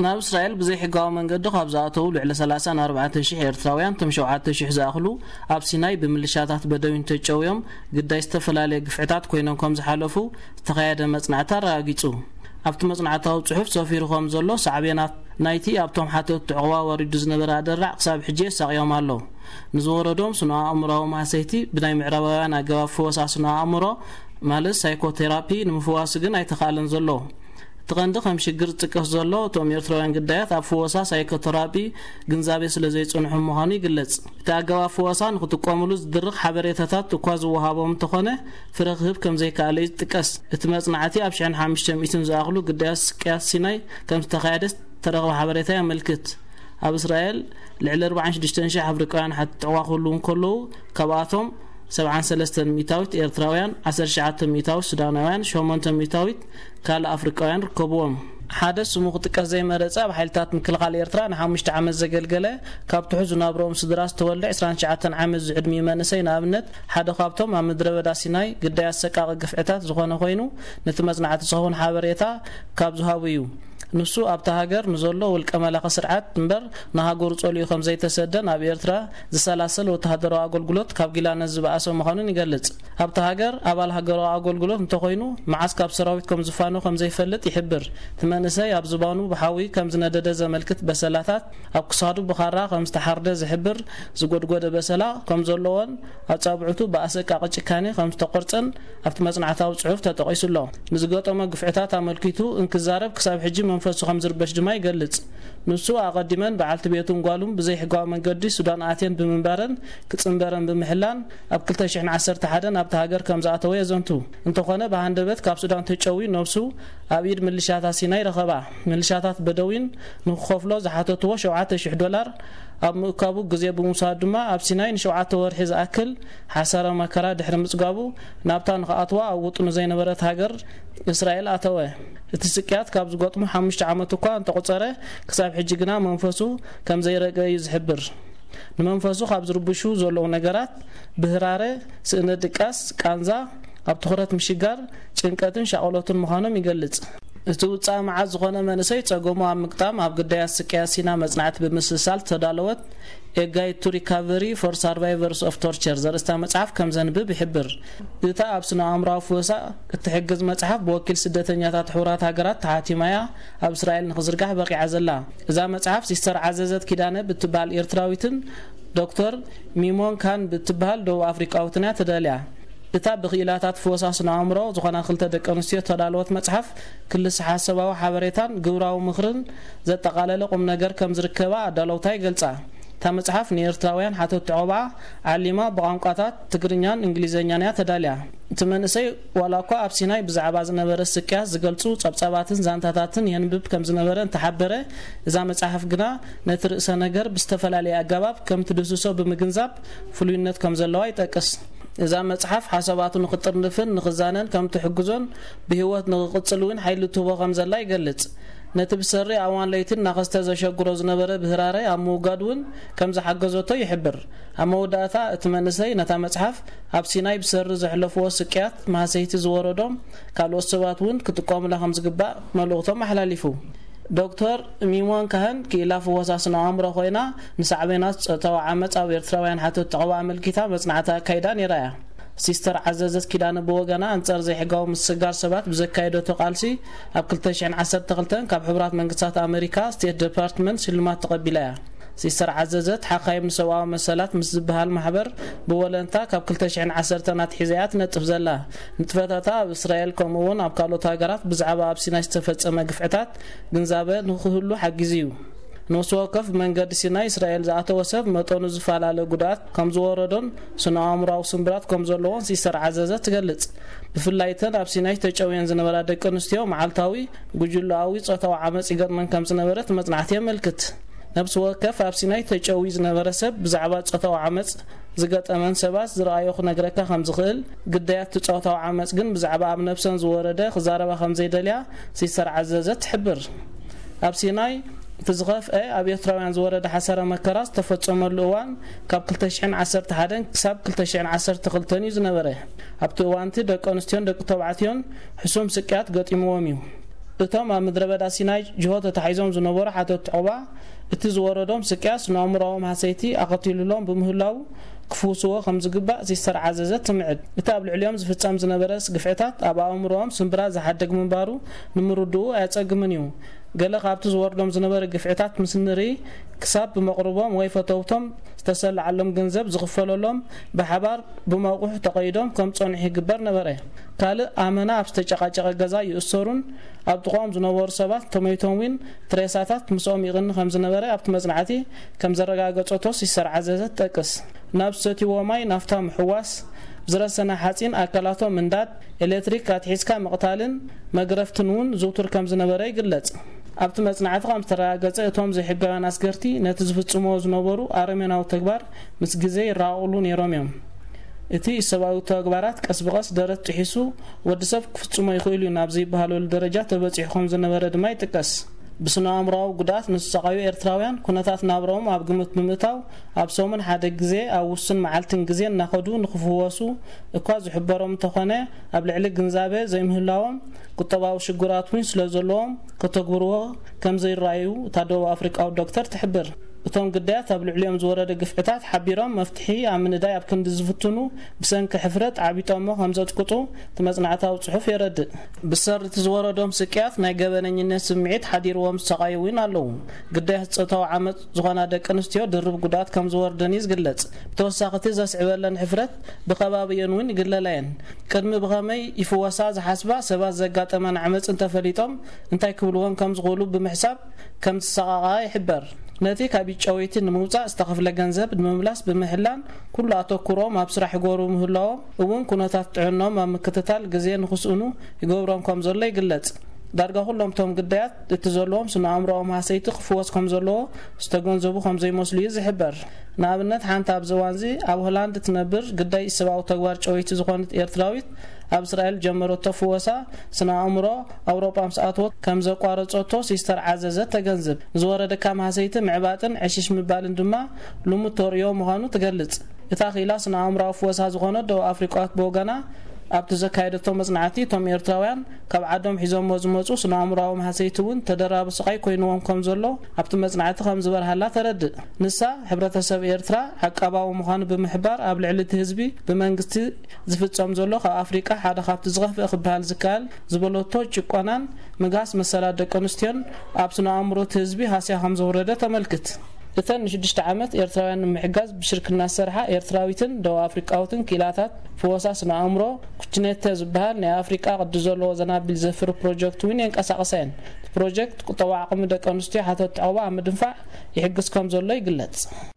ናብ እስራኤል ብዘይሕጋዊ መንገዲ ካብ ዝኣተዉ ልዕሊ ሰላሳን ኣርባዕተን ሽሕ ኤርትራውያን፣ እቶም ሸውዓተ ሽሕ ዝኣኽሉ ኣብ ሲናይ ብምልሻታት በደዊን ተጨውዮም ግዳይ ዝተፈላለየ ግፍዕታት ኮይኖም ከም ዝሓለፉ ዝተኻየደ መጽናዕቲ ኣረጋጊጹ። ኣብቲ መጽናዕታዊ ጽሑፍ ሰፊሩ ከም ዘሎ፣ ሳዕቤናት ናይቲ ኣብቶም ሓተትቲ ዕቑባ ወሪዱ ዝነበረ ኣደራዕ ክሳብ ሕጂ የሳቕዮም ኣሎ። ንዝወረዶም ስነ ኣእምሮዊ ማህሰይቲ ብናይ ምዕራባውያን ኣገባብ ፈወሳ ስነ ኣእምሮ፣ ማለት ሳይኮቴራፒ፣ ንምፍዋሱ ግን ኣይተኻእለን ዘሎ። እቲ ቀንዲ ከም ሽግር ዝጥቀስ ዘሎ፣ እቶም ኤርትራውያን ግዳያት ኣብ ፍወሳ ሳይኮተራፒ ግንዛቤ ስለ ዘይጸንሖም ምዃኑ ይግለጽ። እቲ ኣገባብ ፍወሳ ንክጥቀምሉ ዝድርኽ ሓበሬታታት እኳ ዝወሃቦም እንተኾነ፣ ፍረ ክህብ ከም ዘይከኣለ እዩ ዝጥቀስ። እቲ መጽናዕቲ ኣብ ሽሕን ሓሙሽተ ሚእትን ዝኣኽሉ ግዳያት ስቅያት ሲናይ ከም ዝተኻየደ ዝተረኽበ ሓበሬታ የመልክት። ኣብ እስራኤል ልዕሊ ኣርባዓን ሽዱሽተን ሽሕ ኣፍሪቃውያን ሓተቲ ዕቑባ ክህልዉ እንከለዉ፣ ካብኣቶም ሰብዓን ሰለስተን ሚእታዊት ኤርትራውያን፣ ዓሰርተ ትሽዓተ ሚእታዊት ሱዳናውያን፣ ሸሞንተ ሚእታዊት ካልእ ኣፍሪቃውያን ርከብዎም። ሓደ ስሙ ክጥቀስ ዘይመረጸ፣ ኣብ ሓይልታት ምክልኻል ኤርትራ ንሓሙሽተ ዓመት ዘገልገለ፣ ካብ ትሑት ዝናብሮኦም ስድራ ዝተወልደ ዕስራን ትሽዓተን ዓመት ዝዕድሚኡ መንእሰይ ንኣብነት፣ ሓደ ካብቶም ኣብ ምድረ በዳ ሲናይ ግዳይ ኣሰቃቒ ግፍዕታት ዝኾነ ኮይኑ፣ ነቲ መጽናዕቲ ዝኸውን ሓበሬታ ካብ ዝሃቡ እዩ። ንሱ ኣብታ ሃገር ንዘሎ ውልቀ መላኺ ስርዓት እምበር፣ ንሃገሩ ጸሊኡ ከም ዘይተሰደ፣ ናብ ኤርትራ ዝሰላሰል ወተሃደራዊ ኣገልግሎት ካብ ጊላነት ዝበኣሰ ምዃኑን ይገልጽ። ኣብታ ሃገር ኣባል ሃገራዊ ኣገልግሎት እንተኾይኑ፣ መዓስ ካብ ሰራዊት ከም ዝፋኖ ከም ዘይፈልጥ ይሕብር። እቲ መንእሰይ ኣብ ዝባኑ ብሓዊ ከም ዝነደደ ዘመልክት በሰላታት፣ ኣብ ክሳዱ ብኻራ ከም ዝተሓርደ ዝሕብር ዝጎድጎደ በሰላ ከም ዘለዎን፣ ኣጻብዕቱ ብኣሰቃቂ ጭካኔ ከም ዝተቆርጸን ኣብቲ መጽናዕታዊ ጽሑፍ ተጠቒሱ ኣሎ። ንዝገጠሞ ግፍዕታት ኣመልኪቱ እንክዛረብ፣ ክሳብ ሕጂ መንፈሱ ከም ዝርበሽ ድማ ይገልጽ። ንሱ፣ ኣቐዲመን በዓልቲ ቤቱን ጓሉን ብዘይሕጋዊ መንገዲ ሱዳን ኣትየን ብምንባረን ክጽንበረን ብምሕላን፣ ኣብ ክልተ ሽሕን ዓሰርተ ሓደን ኣብታ ሃገር ከም ዝኣተወ የዘንቱ። እንተኾነ፣ ብሃንደበት ካብ ሱዳን ተጨውዩ ነብሱ ኣብ ኢድ ምልሻታት ሲናይ ረኸባ። ምልሻታት በደዊን ንክኸፍሎ ዝሓተትዎ ሸውዓተ ሽሕ ዶላር ኣብ ምእካቡ ግዜ ብምውሳድ ድማ፣ ኣብ ሲናይ ንሸውዓተ ወርሒ ዝኣክል ሓሳረ መከራ ድሕሪ ምጽጋቡ፣ ናብታ ንኽኣትዋ ኣብ ውጥኑ ዘይነበረት ሃገር እስራኤል ኣተወ። እቲ ስቅያት ካብ ዝገጥሞ ሓሙሽተ ዓመት እኳ እንተቖጸረ፣ ክሳብ ሕጂ ግና መንፈሱ ከም ዘይረገ እዩ ዝሕብር። ንመንፈሱ ካብ ዝርብሹ ዘለዉ ነገራት፣ ብህራረ፣ ስእነ ድቃስ፣ ቃንዛ፣ ኣብ ትኹረት ምሽጋር፣ ጭንቀትን ሻቕሎትን ምዃኖም ይገልጽ። እቲ ውጻእ መዓት ዝኾነ መንእሰይ፣ ጸገሙ ኣብ ምግጣም ኣብ ግዳያት ስቅያት ሲና መጽናዕቲ ብምስልሳል ዝተዳለወት A Guide to Recovery for Survivors of Torture ዘርእስታ መጽሓፍ ከም ዘንብብ ይሕብር። እታ ኣብ ስነ ኣእምሮኣዊ ፍወሳ እትሕግዝ መጽሓፍ፣ ብወኪል ስደተኛታት ሕቡራት ሃገራት ተሓቲማ እያ ኣብ እስራኤል ንኽዝርጋሕ በቂዓ ዘላ። እዛ መጽሓፍ፣ ሲስተር ዓዘዘት ኪዳነ ብትበሃል ኤርትራዊትን ዶክተር ሚሞን ካን ብትበሃል ደቡብ ኣፍሪቃዊትን እያ ተዳልያ። እታ ብክኢላታት ፍወሳ ስነ ኣእምሮ ዝኾና ክልተ ደቂ ኣንስትዮ እተዳለወት መጽሓፍ፣ ክልሰ ሓሳባዊ ሓበሬታን ግብራዊ ምኽርን ዘጠቓለለ ቁም ነገር ከም ዝርከባ ኣዳለውታ ይገልጻ። እታ መጽሓፍ፣ ንኤርትራውያን ሓተትቲ ዕቑባ ዓሊማ፣ ብቋንቋታት ትግርኛን እንግሊዝኛን እያ ተዳልያ። እቲ መንእሰይ፣ ዋላ እኳ ኣብ ሲናይ ብዛዕባ ዝነበረ ስቅያት ዝገልጹ ጸብጻባትን ዛንታታትን የንብብ ከም ዝነበረ እንተሓበረ፣ እዛ መጽሓፍ ግና ነቲ ርእሰ ነገር ብዝተፈላለየ ኣገባብ ከም ትድህስሶ ብምግንዛብ፣ ፍሉይነት ከም ዘለዋ ይጠቅስ። እዛ መጽሓፍ፣ ሓሳባቱ ንኽጥርንፍን ንኽዛነን ከም ትሕግዞን፣ ብህይወት ንኽቕጽል እውን ሓይሊ ትህቦ ከም ዘላ ይገልጽ። ነቲ ብሰሪ ኣዋን ለይቲ እናኸስተ ዘሸግሮ ዝነበረ ብህራረ ኣብ ምውጋድ እውን ከም ዝሓገዘቶ ይሕብር። ኣብ መወዳእታ፣ እቲ መንእሰይ ነታ መጽሓፍ፣ ኣብ ሲናይ ብሰሪ ዘሕለፍዎ ስቅያት፣ ማህሰይቲ ዝወረዶም ካልኦት ሰባት እውን ክጥቀሙላ ከም ዝግባእ መልእኽቶም ኣሕላሊፉ። ዶክተር ሚሞን ካህን፣ ክኢላ ፍወሳ ስነ ኣእምሮ ኮይና፣ ንሳዕቤናት ጾታዊ ዓመጽ ኣብ ኤርትራውያን ሓተትቲ ዕቑባ ኣመልኪታ መጽናዕቲ ኣካይዳ ነይራ እያ። ሲስተር ዓዘዘት ኪዳነ ብወገና፣ ኣንጻር ዘይሕጋዊ ምስግጋር ሰባት ብዘካየደቶ ቃልሲ፣ ኣብ ክልተ ሽሕን ዓሰርተ ክልተን ካብ ሕቡራት መንግስታት ኣመሪካ ስቴት ዲፓርትመንት ሽልማት ተቐቢላ እያ። ሲስተር ዓዘዘት፣ ሓኻይም ንሰብኣዊ መሰላት ምስ ዝበሃል ማሕበር ብወለንታ ካብ ክልተ ሽሕን ዓሰርተን ኣትሒዛ እያ ትነጥፍ ዘላ። ንጥፈታታ ኣብ እስራኤል፣ ከምኡ እውን ኣብ ካልኦት ሃገራት፣ ብዛዕባ ኣብ ሲናይ ዝተፈጸመ ግፍዕታት ግንዛበ ንኽህሉ ሓጊዙ እዩ። ነፍሲ ወከፍ ብመንገዲ ሲናይ እስራኤል ዝኣተወ ሰብ፣ መጠኑ ዝፈላለ ጉድኣት ከም ዝወረዶን ስነ ኣእምሮኣዊ ስምብራት ከም ዘለዎን ሲስተር ዓዘዘት ትገልጽ። ብፍላይ እተን ኣብ ሲናይ ተጨውየን ዝነበራ ደቂ ኣንስትዮ፣ መዓልታዊ ጉጅለኣዊ ጾታዊ ዓመጽ ይገጥመን ከም ዝነበረ እቲ መጽናዕቲ የመልክት። ነፍሲ ወከፍ ኣብ ሲናይ ተጨውዩ ዝነበረ ሰብ፣ ብዛዕባ ጾታዊ ዓመጽ ዝገጠመን ሰባት ዝረኣዮ ክነግረካ ከም ዝኽእል፣ ግዳያት እቲ ጾታዊ ዓመጽ ግን ብዛዕባ ኣብ ነብሰን ዝወረደ ክዛረባ ከም ዘይደልያ ሲስተር ዓዘዘት ትሕብር። ኣብ ሲናይ እቲ ዝኸፍአ ኣብ ኤርትራውያን ዝወረደ ሓሳረ መከራ ዝተፈጸመሉ እዋን፣ ካብ ክልተ ሽሕን ዓሰርተ ሓደን ክሳብ ክልተ ሽሕን ዓሰርተ ክልተን እዩ ዝነበረ። ኣብቲ እዋንቲ፣ ደቂ ኣንስትዮን ደቂ ተባዕትዮን ሕሱም ስቅያት ገጢምዎም እዩ። እቶም ኣብ ምድረ በዳ ሲናይ ጅሆ ተታሒዞም ዝነበሩ ሓተቲ ዑቕባ፣ እቲ ዝወረዶም ስቅያት ንኣእምሮኣዎም ሃሰይቲ ኣኸቲሉሎም ብምህላዉ፣ ክፍውስዎ ከም ዝግባእ ሲስተር ዓዘዘት ትምዕድ። እቲ ኣብ ልዕሊኦም ዝፍጸም ዝነበረ ግፍዕታት ኣብ ኣእምሮኦም ስምብራ ዝሓድግ ምንባሩ ንምርድኡ ኣየጸግምን እዩ። ገለ ካብቲ ዝወርዶም ዝነበረ ግፍዕታት ምስ ንርኢ፣ ክሳብ ብመቕርቦም ወይ ፈተውቶም ዝተሰለዓሎም ገንዘብ ዝኽፈለሎም፣ ብሓባር ብመቑሕ ተቐይዶም ከም ጸንሑ ይግበር ነበረ። ካልእ ኣመና ኣብ ዝተጨቃጨቀ ገዛ ይእሰሩን ኣብ ጥቕኦም ዝነበሩ ሰባት ተመይቶም እውን ትሬሳታት ምስኦም ይቕኒ ከም ዝነበረ ኣብቲ መጽናዕቲ ከም ዘረጋገጸቶ ሲስተር ዓዘዘት ትጠቅስ። ናብ ዝሰትይዎ ማይ ናፍታ ምሕዋስ፣ ብዝረሰነ ሓጺን ኣካላቶም ምንዳድ፣ ኤሌክትሪክ ኣትሒዝካ ምቕታልን መግረፍትን እውን ዝውቱር ከም ዝነበረ ይግለጽ። ኣብቲ መጽናዕቲ ከም ዝተረጋገጸ፣ እቶም ዘይሕጋውያን ኣስገርቲ ነቲ ዝፍጽምዎ ዝነበሩ ኣረሜናዊ ተግባር ምስ ግዜ ይረቓቕሉ ነይሮም እዮም። እቲ ሰብኣዊ ተግባራት ቀስ ብቐስ ደረት ጥሒሱ ወዲ ሰብ ክፍጽሞ ይኽእል እዩ ናብ ዘይበሃለሉ ደረጃ ተበጺሑ ከም ዝነበረ ድማ ይጥቀስ። ብስነ ኣእምሮኣዊ ጉድኣት ንዝሰቓዩ ኤርትራውያን ኩነታት ናብራኦም ኣብ ግምት ብምእታው፣ ኣብ ሰሙን ሓደ ግዜ ኣብ ውሱን መዓልትን ግዜ እናኸዱ ንክፍወሱ እኳ ዝሕበሮም እንተኾነ፣ ኣብ ልዕሊ ግንዛበ ዘይምህላዎም ቁጠባዊ ሽግራት እውን ስለ ዘለዎም ከተግብርዎ ከም ዘይረኣዩ እታ ደቡብ ኣፍሪቃዊ ዶክተር ትሕብር። እቶም ግዳያት ኣብ ልዕሊኦም ዝወረደ ግፍዕታት ሓቢሮም መፍትሒ ኣብ ምንዳይ ኣብ ክንዲ ዝፍትኑ፣ ብሰንኪ ሕፍረት ዓቢጦሞ ከም ዘጥቅጡ እቲ መጽናዕታዊ ጽሑፍ የረድእ። ብሰሪ እቲ ዝወረዶም ስቅያት ናይ ገበነኝነት ስምዒት ሓዲርዎም ዝሰቓዩ እውን ኣለዉ። ግዳያት ጾታዊ ዓመጽ ዝኾና ደቂ ኣንስትዮ ድርብ ጉድኣት ከም ዝወርደን እዩ ዝግለጽ። ብተወሳኺ እቲ ዘስዕበለን ሕፍረት ብኸባቢኦን እውን ይግለላ እየን። ቅድሚ ብኸመይ ይፍወሳ ዝሓስባ ሰባት ዘጋጠመን ዓመጽ እንተፈሊጦም እንታይ ክብልወን ከም ዝኽእሉ ብምሕሳብ ከም ዝሰቓቓ ይሕበር። ነቲ ካብ ጨወይቲ ንምውጻእ ዝተኸፍለ ገንዘብ ንምምላስ ብምሕላን ኩሉ ኣተኩሮም ኣብ ስራሕ ይገብሩ ምህላዎም እውን ኩነታት ጥዕኖም ኣብ ምክትታል ግዜ ንክስእኑ ይገብሮም ከም ዘሎ ይግለጽ። ዳርጋ ኩሎም እቶም ግዳያት እቲ ዘለዎም ስነ ኣእምሮኦም ሃሰይቲ ክፍወስ ከም ዘለዎ ዝተገንዘቡ ከም ዘይመስሉ እዩ ዝሕበር። ንኣብነት ሓንቲ ኣብዚ እዋንዚ ኣብ ሆላንድ ትነብር ግዳይ ሰብኣዊ ተግባር ጨወይቲ ዝኾነት ኤርትራዊት ኣብ እስራኤል ጀመረቶ ፍወሳ ስነ ኣእምሮ ኣውሮጳ ምስ ኣተወት ከም ዘቋረጸቶ ሲስተር ዓዘዘት ተገንዝብ። ዝወረደካ ማህሰይቲ ምዕባጥን ዕሽሽ ምባልን ድማ ልሙድ ተርእዮ ምዃኑ ትገልጽ። እታ ክኢላ ስነ ኣእምሮኣዊ ፍወሳ ዝኾነት ደቡብ ኣፍሪቃዊት ብወገና ኣብቲ ዘካየደቶ መጽናዕቲ እቶም ኤርትራውያን ካብ ዓዶም ሒዞሞ ዝመጹ ስነ ኣእምሮኣዊ ማህሰይቲ እውን ተደራቢ ስቓይ ኮይንዎም ከም ዘሎ ኣብቲ መጽናዕቲ ከም ዝበርሃላ ተረድእ። ንሳ ሕብረተሰብ ኤርትራ ዓቃባዊ ምዃኑ ብምሕባር ኣብ ልዕሊ እቲ ህዝቢ ብመንግስቲ ዝፍጸም ዘሎ ካብ ኣፍሪቃ ሓደ ካብቲ ዝኸፍአ ክበሃል ዝከኣል ዝበለቶ ጭቆናን ምግሃስ መሰላት ደቂ ኣንስትዮን ኣብ ስነ ኣእምሮ እቲ ህዝቢ ሃስያ ከም ዘውረደ ተመልክት። እተን ንሽዱሽተ ዓመት ኤርትራውያን ንምሕጋዝ ብሽርክና ዝሰርሓ ኤርትራዊትን ደቡብ ኣፍሪቃዊትን ክኢላታት ፍወሳ ስነ ኣእምሮ ኩችኔተ ዝበሃል ናይ ኣፍሪቃ ቅዲ ዘለዎ ዘናቢል ዘፍሪ ፕሮጀክት እውን የንቀሳቕሳ እየን። እቲ ፕሮጀክት ቁጠባዊ ዓቕሚ ደቂ ኣንስትዮ ሓተት ዕቕባ ኣብ ምድንፋዕ ይሕግዝ ከም ዘሎ ይግለጽ።